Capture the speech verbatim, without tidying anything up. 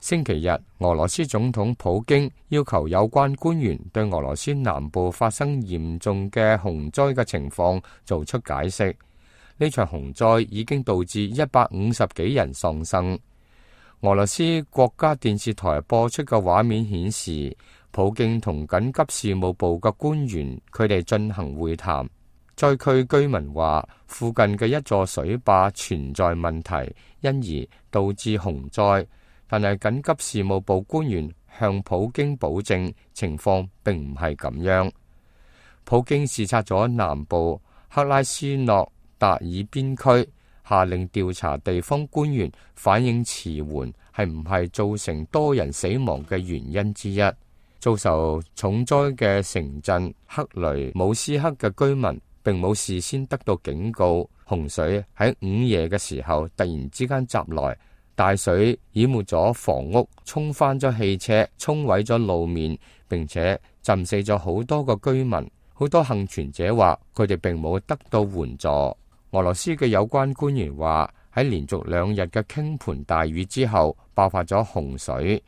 星期日，俄羅斯總統普京要求有關官員對俄羅斯南部發生嚴重嘅洪災嘅情況做出解釋。呢場洪災已經導致一百五十幾人喪生。俄羅斯國家電視台播出嘅畫面顯示，普京同緊急事務部嘅官員佢哋進行會談。災區居民話，附近嘅一座水壩存在問題，因而導致洪災。但係緊急事務部官員向普京保證，情況並唔係咁樣。普京視察咗南部克拉斯諾達爾邊區，下令調查地方官員反應遲緩係唔係造成多人死亡嘅原因之一。遭受重災嘅城鎮克雷姆斯克嘅居民並冇事先得到警告，洪水喺午夜嘅時候突然之間襲來。大水淹沒咗房屋，沖翻咗汽車，沖毀咗路面，並且浸死咗好多個居民。好多幸存者話佢哋並冇得到援助。俄羅斯嘅有關官員話喺連續兩日嘅傾盆大雨之後爆發咗洪水，